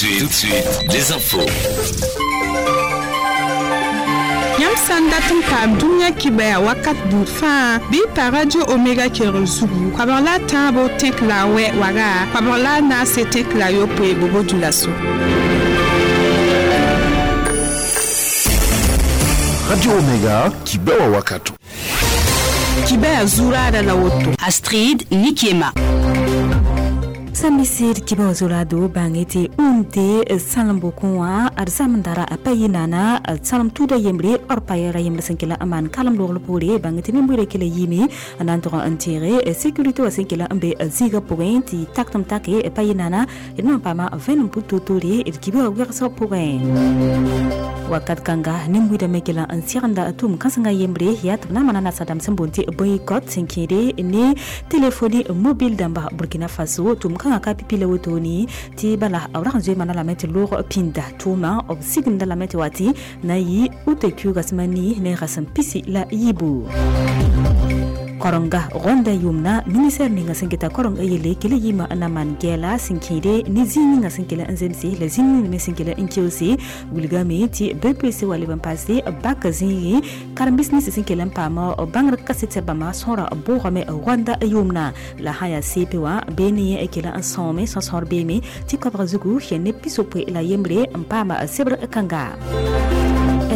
Tout de suite, les infos. Yãmb sã n dat n paam dũniyã kibɛa wakat buud fãa, bɩ y pa Radio Omega kelgr zugu, 13.8 waga, 94.9 Bobo Dioulasso. Radio Omega, kibɛwa wakato. Kibɛa zuraada la woto. Astrid Nikiema. Sãn misir kiba zurado bãnge tɩ unde sãlem-bokẽ wã d zãmendara a pa yɩ naana sãlem tuuda yembre d pa yɛra yembre sẽn kell n maan kalem logl poore, bãnge tɩ nin-buiidã kela yiime n na n tʋg n teege sécurité wã sẽn kela n be zĩigã pʋgẽ tɩ tak tɩ m take pa yɩ naana d na n paama vẽenem pʋ-toor-toore d kibã wɛgsg pʋgẽ. Wakat kãnga nin-buiidã me kela n segenda tʋʋm kãsenga yembre yaa tɩ b na n maana nasadãmb sẽn boond tɩ boycott sẽn kẽede ne téléphone mobile dãmba Burkina Faso. Tʋʋm kãngã ka pipi la wotone tɩ bala b rag n zoe mana lame tɩ loog pĩnda tʋʋmã b sigenda lame tɩ wa tɩ na yɩ uta kiuuga sẽm a nii ne rasem pisi la yiibu. Korenga Rwanda yʋʋmna ministɛr ninga sẽn keta korenga yelle kele yɩɩmã n na maan gɛɛla sẽn kẽede ne zĩig ninga sẽn kell n zemse la zĩig ning me sẽn kell n keoose. Wilgame tɩ BEPC wa leb n paase bak zĩigẽ karen-biis nins sẽn kell n paam bãngr kaset bãmba sõora bʋʋgame Rwanda yʋʋmna la sã yaa CP wã bee ne yẽ kell n sõome sõsõor beeme tɩ koabg zugu ne 61 n paama sebr kãnga.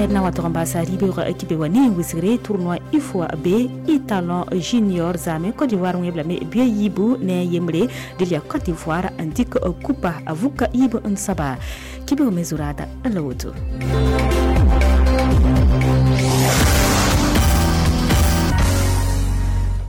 Na wa tʋg n baasa rɩ-beoogã kibe wa ne wisgre tournoi UFOA B étalon junior zame Côte d'Ivoire wẽb lame bia yiibu ne a yembre dɩl yaa Côte d'Ivoire n dɩk kupa a vuka yiib n soaba kibeoog me zuraada la woto.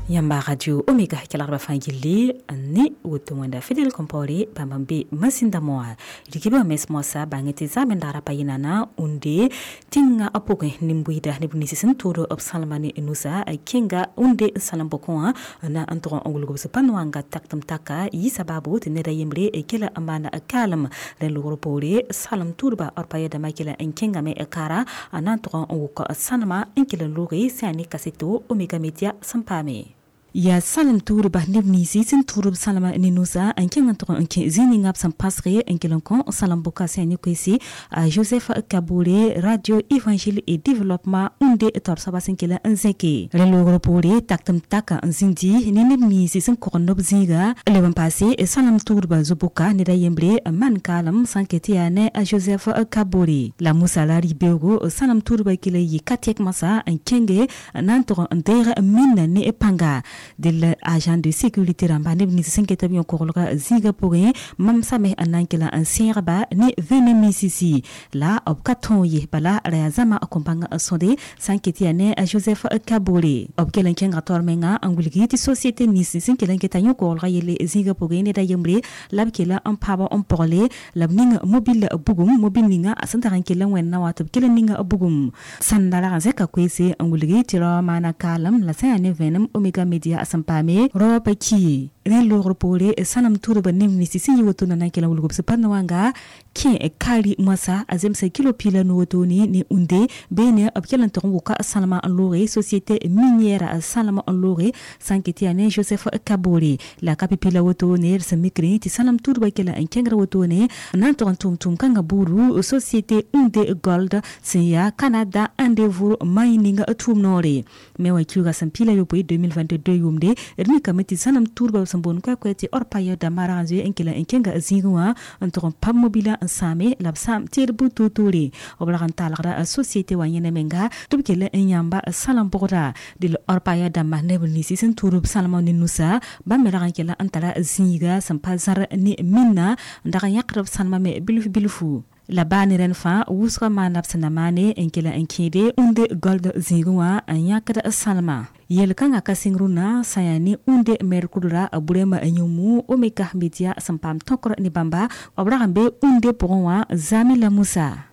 Yãmba Radio Omega kelgdbã fãa gilli ne woto wẽnda Fidel Compaoré bãmb n be masĩndame wã. Rikibã mens moasã bãng tɩ zamendara pa yɩ naana unde tẽngã pʋgẽ nin-buiida neb nins sẽn tood b sãlma ne nusa kẽnga unde n sãlem bokẽ wã na n tʋg n wilg b sẽn pa wãnga tak tɩ m taka yɩ sababu tɩ neda yembre kela n maan kaalem. Rẽ logr poore salem tuudba d pa yɛdãmã kela n kẽngame kara n na n tʋg n wʋk sãnema n kell n looge sã yaa ne kaseto Omega Media sẽn paame. Yaa sãlem tuudba neb ninsi sẽn tuud b sãlema ne nusa n kẽng n tʋg n kẽ zĩig ninga b sẽn pasge n kell n kõ sãlem boka sã yaa ne koeese a Joseph Kabore, Radio Évangile et Développement unde taoor soaba sẽn kell n zẽke. Rẽ loogr poore tak tɩ m taka n zĩndi ne neb ninsi sẽn kogend b zĩiga leb n paase sãlem tuudba zo-boka ned a yembre n maan kaalem sã n ket tɩ yaa ne a Joseph Kabore. La Musa la rɩ-beoogo sãlem tuudba kell n yɩ ka tɛk masã n kẽnge n na n tʋg n deeg minna ne pãnga. Dɩl agent de sécurité rãmba neb nins sẽn ket b yõ-koglga zĩigã pʋgẽ mam same n na n kell n sẽegba ne vẽne misisi la b ka tõog ye, bala ra yaa zãma kõn bãng n sõde sã n ket yaa ne a Joseph Kabore. B kell n kẽnga taoor menga n wilgi tɩ société nins sẽn kell n keta yõ-koglga yelle zĩigã pʋgẽ ned a yembre la b kell n paab n pogle la b ning mobile bugum, mobile ninga sẽn tag n kell n wẽnna wã tɩ b kell n ninga bugum sãnda rag n zẽka koeese n wilgi tɩ rao maana kaalem la sã yaa ne vẽenem Omega Media sẽn paame rao pa ki. Rẽ loogr poore sãnem tuudba neb nins sẽn yɩ woto na n kell n wilg b sẽn pa wãnga kẽ kaari moasã a zemsa kilo piila no wotone ne unde beene b kell n tʋg n wʋka sãlema n looge société minière sãlem n looge sã n ket yaa ne Joseph Kabore. La ka pipi la wotone d sẽn mikrẽ tɩ sãlem tuudba kell n kẽngr wotone n na n tʋg n tʋm tʋʋm kãngã buudu société Unde Gold sẽn yaa Canada Endeavour Mining tʋʋm noore me wã kiuga sẽn piila yopoe 2022 yʋʋmde. D mikame tɩ sãnem tuudba sẽn boond koɛ-koɛ tɩ d pa yã dãmbã rag n zoe n kell n kẽnga zĩigẽ wã n tʋg n pam mobila n sãame la b sãam tɩ d bu-toor-toore b rag n talgda société wã yẽne menga tɩ b kell n yãmba sãlem bʋgda. Dɩl d pa ya dãmba neb ninsi sẽn tuud b sãlema ne nusa bãmb me rag n kell n tara zĩiga sẽn pa zãr ne minna n dag n yãkd b sãlema me bilf bilfu. La baa ne rẽnd fãa wʋsgã maana b sẽn na maane n kell n kẽede unde gold zĩigẽ wã n yãkd sãlema. Yel-kãngã ka sɩng rũnnã sã yaa ne unde merkudra burema yũmu Omega Media sẽn paam tõkr ne bãmba b rag n be unde pʋgẽ wã zame la Musa.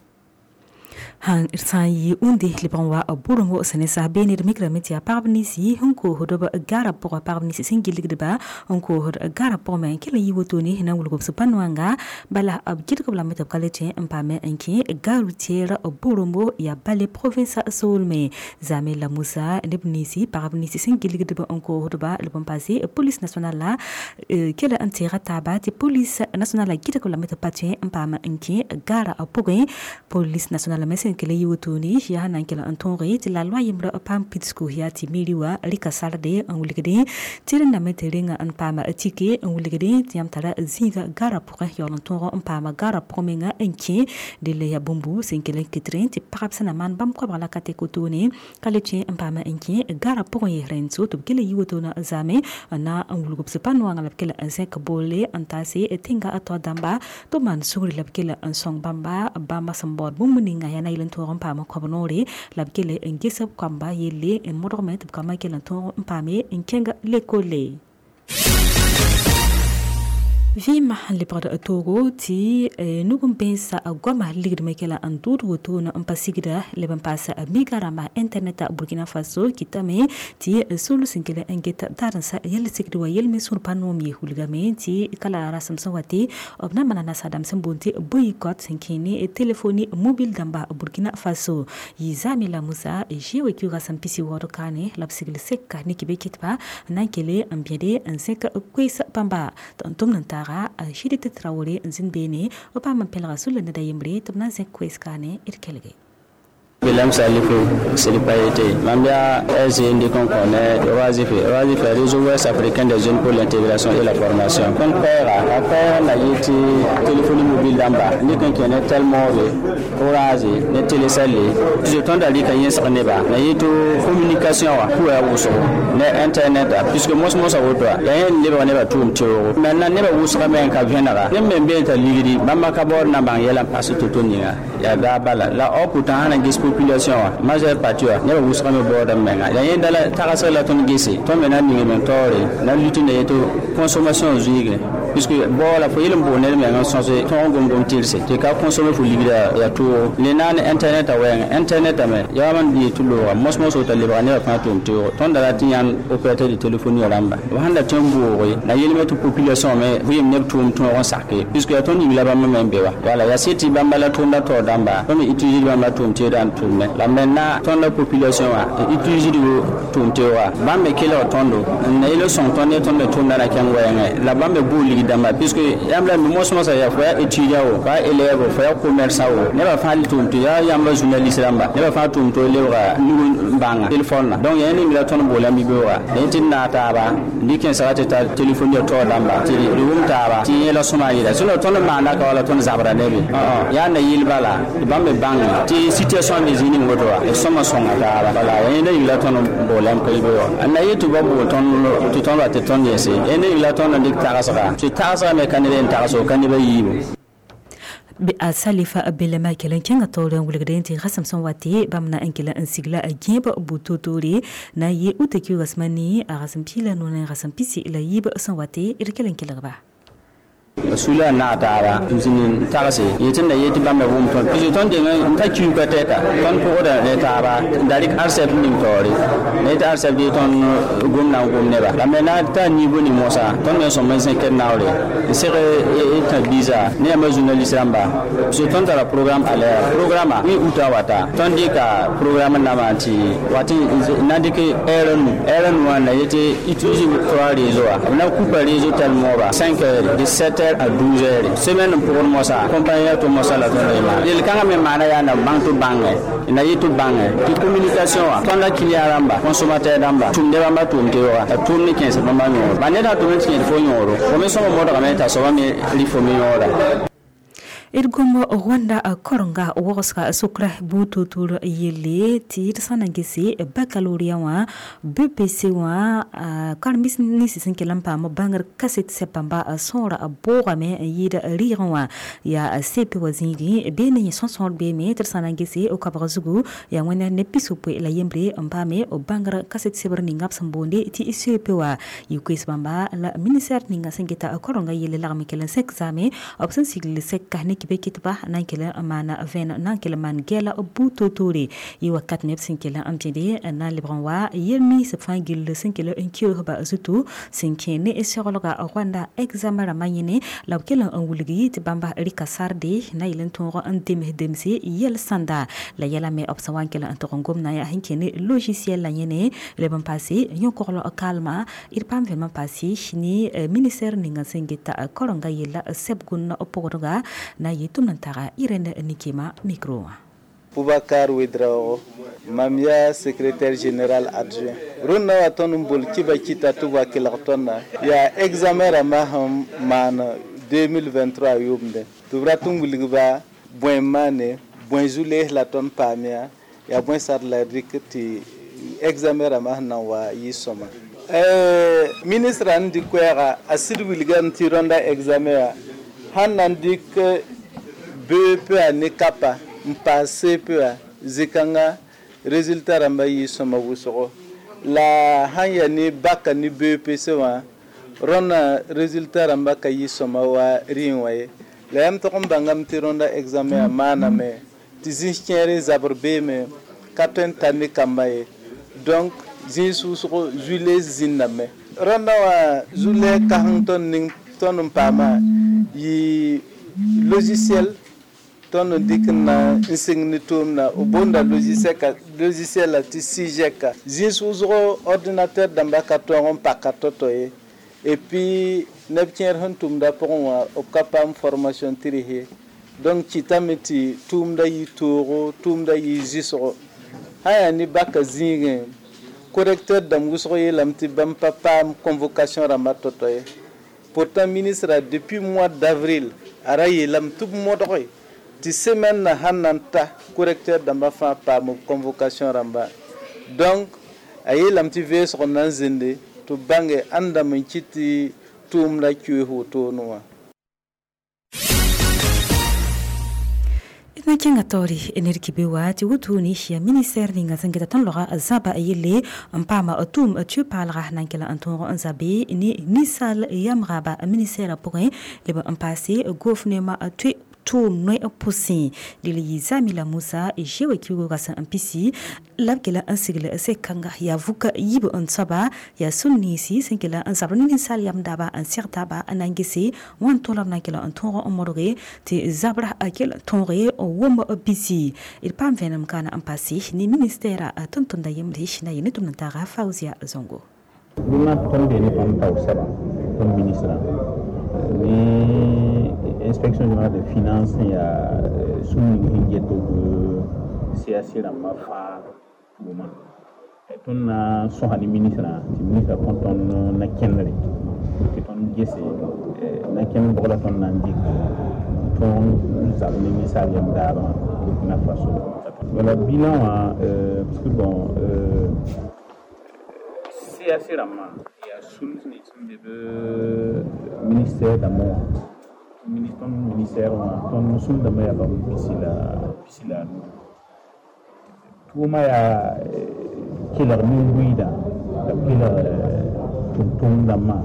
Han sã n yɩ ũnde lebg n wa bʋrenggo sẽn ne sas beene d mikrame tɩ yaa pagb ninsi sẽn koosd b garã pʋgã, pagb ninsi sẽn gilgdba n koosd garã pʋgẽ me n kell n yɩ wotone na n wilg b sũ-pã-noanga. Bala b gɩdg b lame tɩ b ka le tõe n paame n kẽ gare routière Boromo yaa bale province soolme. Zame la Musa neb ninsi, pagb ninsi sẽn gilgdb n koosdba b n paase police nationale la kell n teega taaba tɩ police nationale la gɩdg b lame tɩ b pa tõe n paam n kẽ garã pʋgẽ. Police nationale me sẽn kell n yɩ wotone yaa na n kell n tõoge tɩ la loa yembrã paam pidsgu yaa tɩ meri wã rɩka sarde n wilgdẽ tɩ rẽndame tɩ renga n paam tike n wilgdẽ tɩ yãmb tara zĩiga garã pʋgẽ yaool n tõog n paama garã pʋgẽ menga n kẽ. Delle yaa bũmbu sẽn kell n kɩtrẽ tɩ pagb sẽn na maan bãmb koabg la ka tɛk wotone ka le tõe n paam n kẽ garã pʋgẽ yes rẽnd so tɩ b kell n yɩ wotona zaame n na n wilg b sũ-pã-noangã la b kell n zẽk boole n taase tẽnga a tao dãmba tɩ b maan sugri la b kell n sõng bãmba bãmba sẽn baood bũmb ninga yaa na yel n tõog n paam koab noore la b kell n ges b koamba yelle n modgme tɩ b kambã kell n tõog n paame n kẽng lekole. Vɩɩmã sẽn lebgd toogo tɩ nug n bẽnsa goama ligdmẽ kɛla n dʋʋd wotone n pa sigda leb n paas miga rãmba internet Burkina Faso kɩtame tɩ sol sẽn kell n get darensã yɛl sigd wa yel me sũur pa noom ye wilgame tɩ kala rasem sẽn wa tɩ b na n maana nasaadãmb sẽn boond tɩ boycott sẽn kẽ ne telefoni mobile dãmba Burkina Faso. Yɩ zaame la Musa zeoe kiuga sẽn pisi waood kaane la b sigl seka ne kɩ be kɩtba n na n kele n bẽde n zẽk koees bãmba tɩ n tʋmd n taag Judith Traoré n zĩnd beene b paam n pẽlga sũla ned a yembre tɩ b na n zẽk koees kaane d kelge. William Salifo Silipaïté. Mambia SGND qu'on connaît, Oazife, Réseau Ouest africain des jeunes pour l'intégration et la formation. Kon pera, après on a été téléphonie mobile d'amba, ni qu'on connaît tellement Orange, ne Telecel, je tente d'aller quand il y a un na yeto communication wa ku ya wuso ne internet puisque moi moi ça woto ya yen leba ne ba tum teo maintenant ne ba wuso men ka vienara ne men be ta ligidi bamba ka bor na bang yela passe toto ninga ya da bala la o pourtant na gis population wa majeure partie wa ne ba wuso me bor da menga ya yen dala tagasela la ton gese ton mena ninga men tore na lutte ne yeto consommation zuige puisque bor la fo yelem bo ne menga sonse ton gom gom tirse te ka consommer fo ligida ya to le nan internet a wɛŋ internet me ya man di tulo wa mos mos ta le ba ne fa tum te ton da ti yan opérateur de téléphonie ramba wa handa tem bo na yelme to population me vim ne tum ton on sake puisque ton ni la ba me be wa wala ya seti bamba la ton da to damba to mi utiliser bamba tum te dan tum ne la maintenant ton la population wa utiliser du tum te wa ba me kele ton do na ile son ton ne ton me ton da na ken wɛŋ la ba me bo ligi damba puisque yamla mi mos mos ya fa étudiant o fa élève fa commerçant o ne ba fa tum te ya yamba journaliste ramba ne ba fa tum to lewra nugu banga téléphone la donc yani mi la ton bola mi be wa ne tin na ta ba ni ken sa ta téléphone ya to damba ti rum ta ba ti la soma yira so ton ma na ka wala ton zabra ne be ya na yil bala ba me banga ti situation de zini ngoto wa e soma songa ta ba bala yani ne la ton bola ko be wa na yetu ba bo ton to ton la te ton yese ene la ton dik ta sa ti ta sa me kan ne ta so kan ne ba yibo a salifa belema kelen kẽngã taoor n wilgdẽ tɩ rasem sẽn wa tɩ bãmb na n kell n sigla a gẽeb bu-totore na yɩ uta kiugasmã ne a rasem piig la noor ne rasem pisi la yiib sẽn wa tɩ d kell n kelgba. Sula na taaba zinin tagase yetin da yeti bambe wum ton puisque ton de ta kiu ka teta ton ko da ne taaba darik arsep ning tori ne ta arsep di ton gomna gomne ba la mena ta niveau ni mosa ton ne son men ken nawre sere e ta biza ne ma journaliste ramba puisque ton ta programme à l'air programme wi uta wata ton di ka programme na ma ti wati na di ke erenu na yeti utiliser trois réseaux na coupe réseau tellement ba 5 heures de 7 heures à 12 heures. Semaine pour moi ça, compagnie to moi ça la ton ma. Il kanga me mana ya na banque to banque, na yitu banque, ti communication wa, ton la client ramba, consommateur ramba, tum de ramba tum te wa, tum ni 15 bamba nyoro. Ba ne da tum ti fo nyoro. Ko me so mo da me ta so ba me li fo me nyoro. D gom Rwanda korenga wagsga sʋkra bu-toor yelle tɩ d sã n na gese baccalauréat wã BPC wã karen-biis nins sẽn kell n paam bãngr kaset sɛb bãmba sõora boogame n yɩɩd rɩɩgẽ wã yaa CP wã zĩigẽ bee ne yẽ sõsõor beeme tɩ d sã n na gese koabg zugu yaa wẽnd ne pisopoe la yembre n paame bãngr kaset sebr ninga b sẽn boonde tɩ CP wã yɩ koees bãmba la ministère ninga sẽn geta korenga yelle lagm kell n sẽk zaame b sẽn sigl sɛka ne kibe kitba nan kele mana ven nan kele man gela buto tore yi wakat neb sẽn kell n bẽde na n lebg n wa yel-miis fãa gill sẽn kell n keoosba zutu sẽn kẽ ne seglga Rwanda examen rãmbã yẽne la b kell n wilgi tɩ bãmba rɩka sarde na yel n tõog n dems demse yɛl sãnda la yɛla me b sẽn wa n kell n tog n gomdã yaa sẽn kẽ ne logiciel la yẽne leb n paase yõ-koglg kalma d paam vẽm n paase ne ministère ninga sẽn geta karenga yella sɛb-gũnna pʋgdga na yɩ tʋm n taga Irène Nikema micro wã. Boubacar Ouedraogo, mam yaa secrétaire général adjoint. Rũndã wa tõnd n bol kiba kɩta tɩ b wa kelg tõndã yaa examen rãmbã sẽn maan 2023 yʋʋmdẽ tɩ b rat n wilgba bõe n maane, bõe zu-lees la tõnd paam yaa, yaa bõe sar la d rɩk tɩ examen rãmbã sẽn na n wa yɩ sõma. Ministrã n dɩk koɛɛga a sɩd wilgame tɩ rõnda examen wã sãn na n dɩk BEPA ne kapa n paas CPA zĩ-kãnga résultat rãmbã yɩ sõma wʋsgo la sãn yaa ne baka ne BEPC wã rõndã résultat rãmbã ka yɩ sõma wa rĩm wã ye. La yãmb tog n bãngame tɩ rõnda examen wã maaname tɩ zĩis kẽere zabr beeme ka tõe n tar ne kambã ye. Donc zĩis wʋsgo zu-lees zĩndame. Rõndã wã zu-lees kãseng tõnd ning tõnd n paama yɩ logiciel tõnd n dɩk n na n sɩng ne tʋʋmdã b boonda logiciel la tɩ SIGEC. Zĩis wʋsgo ordinateur dãmbã ka tõog n paka tao-tao ye. Et puis neb kẽer sẽn tʋmda pʋgẽ wã b ka paam formation tɩrs ye. Donc kɩtame tɩ tʋʋmdã yɩ toogo, tʋʋmdã yɩ zɩsgo. Sã yaa ne baka zĩigẽ correcteur dãmb wʋsg yeelame tɩ bãmb pa paam convocation rãmbã tao-tao ye. Pourtant ministre depuis mois d'avril a ra yeelame tɩ b modge tɩ semaine na sãn na n ta correcteur dãmbã fãa paam b convocation rãmba. Donc a yeelame tɩ veesg na n zĩnde tɩ b bãnge ãnda dãmb n kɩt tɩ tʋʋmdã keoos wotone wã. Na kẽnga taoore ned kibe wa tɩ wotone yaa ministère ninga sẽn geta tõnd logã zãba yelle n paama tʋʋm tɩ paalga na n kell n tõog n zabe ne ninsaal yamgaba ministère pʋgẽ leb n paase gouvernement tɩ tʋʋm noe pʋsẽ dɩl yɩ Zamila Musa zewa kiuga sẽn n pisi la b kela n sigl sek-kãnga yaa vʋka yiib n soaba yaa sũ-niinsi sẽn kela n zabr ne ninsaal yam-daaba n seg taaba n na n gese wãn tõog la b na n kela n tõog n modge tɩ zabra a kell n tõoge n wʋm bisi d paam vẽenem kaana n paase ne ministɛɛra tʋm-tʋmda yembre na yɩ ne tʋm n taaga Faouzia Zongo. Rũndã tõnd bee ne tõnd taoor sɛba tõnd ministrã ne inspection générale des finances sẽn yaa sũur ning sẽn get b CAC rãmbã fãa tʋʋma. Tõnd na n sõsa ne ministrã tɩ ministrã kõ tõnd na-kẽndre tɩ tõnd gese na-kẽnd bʋg la tõnd na n dɩk tõog zab ne ninsaal yam daabã Burkina Faso. Wala bilan wã parce que bon CAC rãmbã yaa sũur nins sẽn be b ministère dãmbã wã tõnd ministère wã tõnd sũur dãmbã yaa bãmb pisi la a nu. Tʋʋmã yaa kelg nin-buiidã la b kelg tʋm-tʋm dãmbã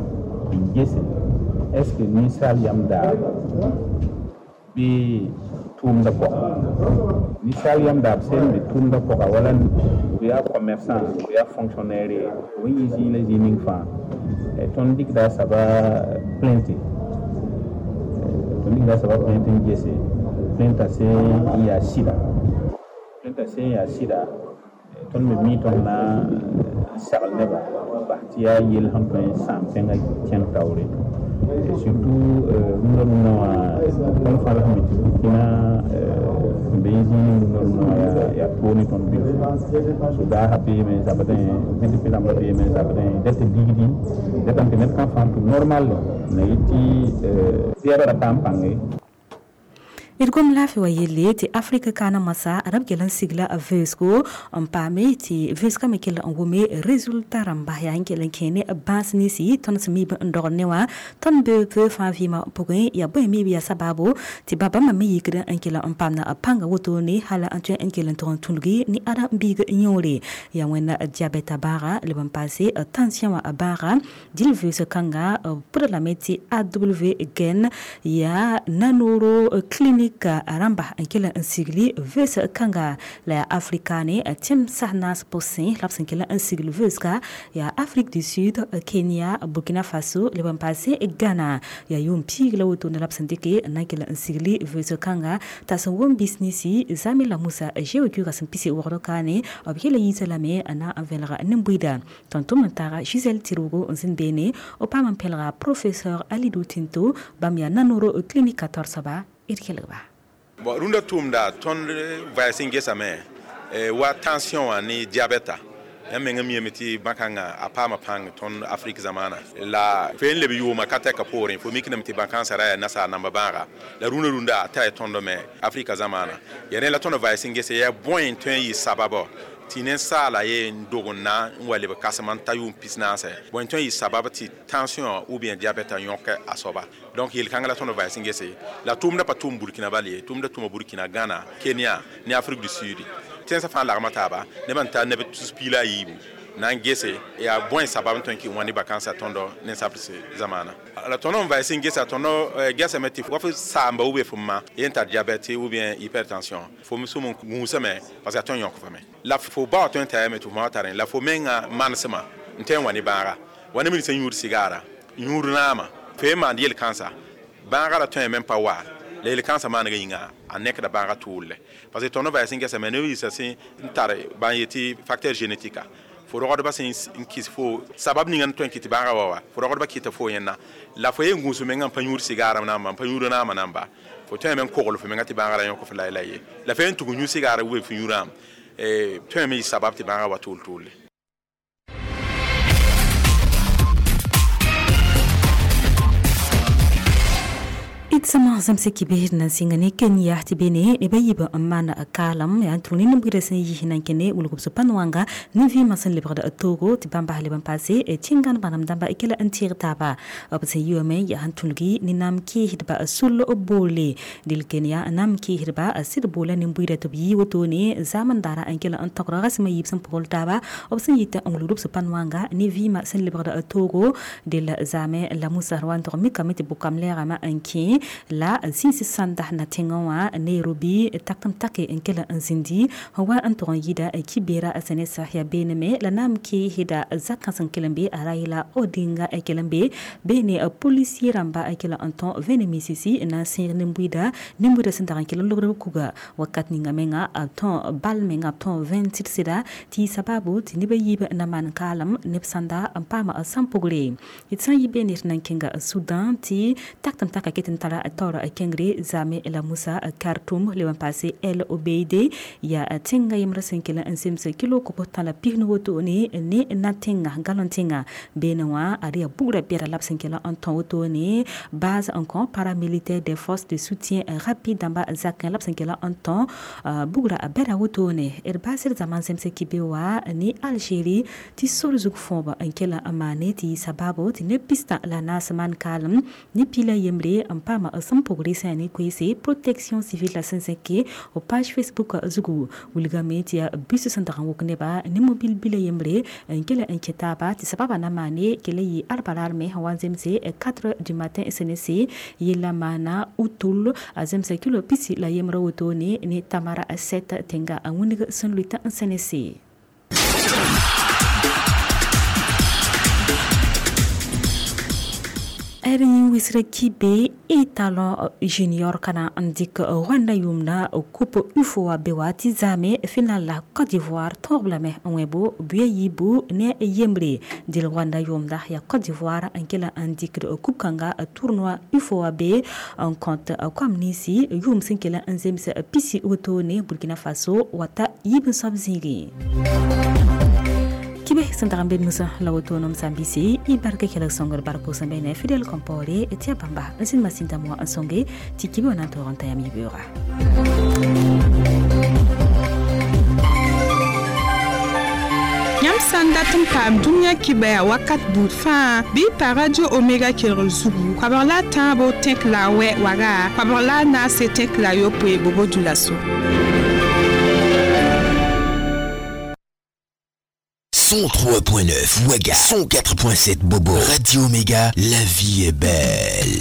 n gese est ce que ninsaal yam daab bɩ tʋʋmdã pʋga. Ninsaal yam daab sẽn be tʋʋmdã pʋga wala b yaa commerçant b yaa fonctionnaire ye b yĩ zĩig la zĩig ning fãa tõnd dɩkda a soaba plainte tõnd dɩkda a soaba plainte n gese plainte sẽn n yaa sɩda plainte sẽn yaa sɩda tõnd me mi tõnd na n sagl nebã bas tɩ yaa yell sẽn tõe n sãam tẽngã kẽnd taoore. Et surtout rũndã rũndã wã tõnd fãa la sẽn be tɩ Burkina sẽn be zĩig rũndã rũndã wã yaa toog ne tõnd bilfu. So daasã beeme zabdẽ BDP rãmbã beeme zabdẽ dɛt digdi dɛtame tɩ ned kã fãa tʋm normal na yet tɩ zɛɛbã ra paam pãnge. D gom laafɩ wa yelle tɩ Afrika kaana masã rab kell n sigla vʋʋsgo n paame tɩ vʋʋsgã me kell n wʋme résultat rãmba yaa n kell n kẽ ne bãas ninsi tõnd sẽn miib n dogd ne wã tõnd be fãa vɩɩmã pʋgẽ yaa bõe miib yaa sabaabo tɩ ba bãmba me yikd n kell n paamda pãnga wotone hala n tõe n kell n tog n tũlgi ne ada n biig yõore yaa wẽnna diabɛta baaga leb n paase tension wã baaga dɩl vʋʋsg kãnga pʋda lame tɩ AW gen yaa nanoro clinique Afrika rãmba n kell n sigli vʋʋs kãnga la yaa Afrika ne tẽmsa naas pʋsẽ la b sẽn kell n sigl vʋʋsga yaa Afrique du Sud, Kenya, Burkina Faso leb n paase Ghana. Yaa yʋʋm piig la wotone la b sẽn dɩke n na n kell n sigli vʋʋs kãnga t'a sẽn wʋm bisnisi zame la Musa Géocuga sẽn pisi wogd kaane b yela yiisa lame n na n vẽlg nin-buiida. Tõnd tʋm n taaga Gisèle Tirwgo n zĩnd beene b paam n pẽlga professeur Alidou Tinto bãmb yaa nanoro clinique 14 soaba d kelgba. Bon, rũndã tʋʋmda tõnd vaɛs n gesame wa tension wã ne diabɛta. Yãmb mengã miame tɩ bãn-kãngã a paama pãng tõnd Afrik zamaana la fo n leb yʋʋma ka tɛka poorẽ fo mikdame tɩ bãn-kãensã ra yaa nasaar namba bãaga la rũndã rũndã a tara tõnd me Afrika zamaana. Yaa rẽ la tõnd vaɛs n gese yaa bõe n tõe n yɩ sababɔ tɩ ninsaala ye n dog n na n wa leb kãsem n ta yʋʋm pis-naasɛ bõe n tõe n yɩ sabab tɩ tension ou bien diabɛta yõk a soaba. Donc yel-kãngã la tõnd vaɛs n gese la tʋʋmdã pa tʋʋm Burkina bal ye, tʋʋmdã tʋma Burkina, Ghana, Kenya ne Afrique du Sud. Tẽnsã fãa lagma taaba nebã n tar neb tus piig la a yiibu na n gese yaa bõe sabab n tõe n kɩ wã ne bakãnsã tõndo ninsaabs zamaana. La tõnd n vaɛs n gesa tõnd gesame tɩ wa f saamba ou bien f ma ye n tar diabɛte ou bien hypertension fo me sʋm n gũusame parce que a tõe n yõk fame la fo bao tõe n tayame tɩ f ma wa tarẽ la fo menga manesmã n tõe n wa ne bãaga wa ne sẽn yũud sigaara yũud naama fo ye maand yel-kãnsa bãaga ra tõe me n pa wa la yel-kãnsã maanega yĩnga a nekda bãaga tʋʋlle parce que tõnd vaɛs n gesame neb yiisã sẽn n tar bãn yetɩ facteur génétique fo rogdbã sẽn n kɩs fo sabab ninga n tõe n kɩt tɩ bãagã wa wa fo rogdbã kɩta fo yẽnna la fo ye n gũus menga n pa yũud sigaarã namba n pa yũud naamã namba fo tõe me n kogl fo menga tɩ bãagã ra yõk f la ye la fo ye n tug n yũ sigaarã ou fo yũudame tõe me yɩ sabab tɩ bãagã wa tʋʋl tʋʋle. D sõma zãmsã kibsd na n sɩnga ne Kenya tɩ bene neb a yiib n maan kaalem yaa n tʋg ne nin-buiidã sẽn yis na n kẽne wilg b sũ-pãn-wãnga nin-vɩɩmã sẽn lebgd toogo tɩ bãmb bas leb n paase tĩngan bãnem dãmba kela n tɩɩg taaba b sẽn yi wame yaa sẽn tũlgi ne naam kɩɩsdba sul boole del Kenya naam kɩɩsdba sɩd boola nin-buiidã tɩ b yɩ wotone zaam n daara n kela n togd rasmã yiib sẽn pʋgl taaba b sẽn yita n wilgd b sũ-pãn-wãnga ne vɩɩmã sẽn lebgd toogo del zaame la Musa wa n tog mikame tɩ bʋkam lɛɛgame n kẽ la zĩns sãnda na tẽngã wã Nairobi takem take n kell n zĩndi wa n tʋg n yɩɩda kibera sẽne-sa yaa beename la naam keesda zakã sẽn kell n be Raila Odinga kell n be beene policier rãmba kell n tõ vẽne misisi n na n sẽeg nin-buiida nin-buiidã sẽn dag n kell n lobd b kuga wakat ninga menga b tõ bal menga b tõ vẽn sɩd-sɩda tɩ sababu tɩ neb a yiib na maan kaalem neb sãnda n paama sãn pugre. D sã n yɩ beene d na n kẽnga Sudan tɩ taktame taka ket n tara taoor kẽngre zame la Musa Khartoum leb n paase El Obeide yaa tẽnga yembrã sẽn kell n zems kilo kob tã la pis ni wotone ne na tẽnga galon tẽnga beene wã ad yaa bugrã bɛda la b sẽn kell n tõ wotone base n kõ paramilitaire des forces de soutien rapide dãmba zakẽ la b sẽn kell n tõ bugrã bɛda wotone. D baasd zãma n zems kibe wa ne Algérie tɩ sor zug fõob n kell n maane tɩ sababu tɩ neb pistã la naas maan kaalem ne pila yembre n paama sẽn pʋgre sã ne koeese protection civile la sẽn zẽke o page Facebook zugu wilgame tɩ yaa bus sẽn dag n wok neba ne mobil bila yembre n kell n kẽ taaba tɩ sababa na maane kell yɩ arbaraar me sẽn wa n zemse 4 du matin sẽnese yella maana utul a zemsa kilo pisi la yembrã wotone ne Tamara 7 tẽnga n wĩneg sẽn lʋɩta n sẽnese. D yẽ wɩsra kibe étalon junior kana n dɩk Rwanda yʋʋmda coupe UFOA be wa tɩ zaame final la Côte d'Ivoire tõog lame n wẽbo buya yiibu ne yembre dɩl Rwanda yʋʋmda yaa Côte d'Ivoire n kela n dɩkd coupe kãnga tournoi UFOA be n kõt koam ninsi yʋʋm sẽn kell n zems pisi wotone Burkina Faso wata yiib n soab zĩigẽ. Kibe sẽn dag n be nusã la woto-nom sã n bɩse y bark kelg sõngr bark sẽn be ne Fidèle Compaoré tɩ ya bãmba n sẽn masĩn dãmb wã n sõnge tɩ kibe wã na n toog n ta yam yibeooga. Yãmb sã n dat n paam dũniyã kibɛa wakat buud fãa bɩ y pa Radio Omega kelg zugu koabg la a tãabo tẽk la a wɛ waga koabg la a naase tẽk la a yopoe bobo dulaso. 103.9 Ouaga, 104.7 Bobo. Radio Omega, la vie est belle.